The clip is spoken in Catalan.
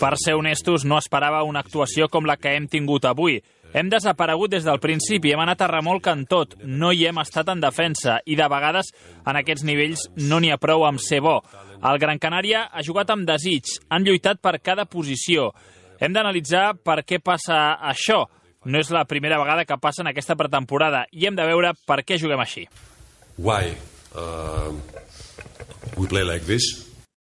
Per ser honestos, no esperava una actuació com la que hem tingut avui. Hem desaparegut des del principi, hem anat a remolc en tot, no hi hem estat en defensa i de vegades en aquests nivells no n'hi ha prou amb ser bo. El Gran Canària ha jugat amb desig, han lluitat per cada posició. Hem d'analitzar per què passa això. No és la primera vegada que passa en aquesta pretemporada i hem de veure per què juguem així. Why we play like this?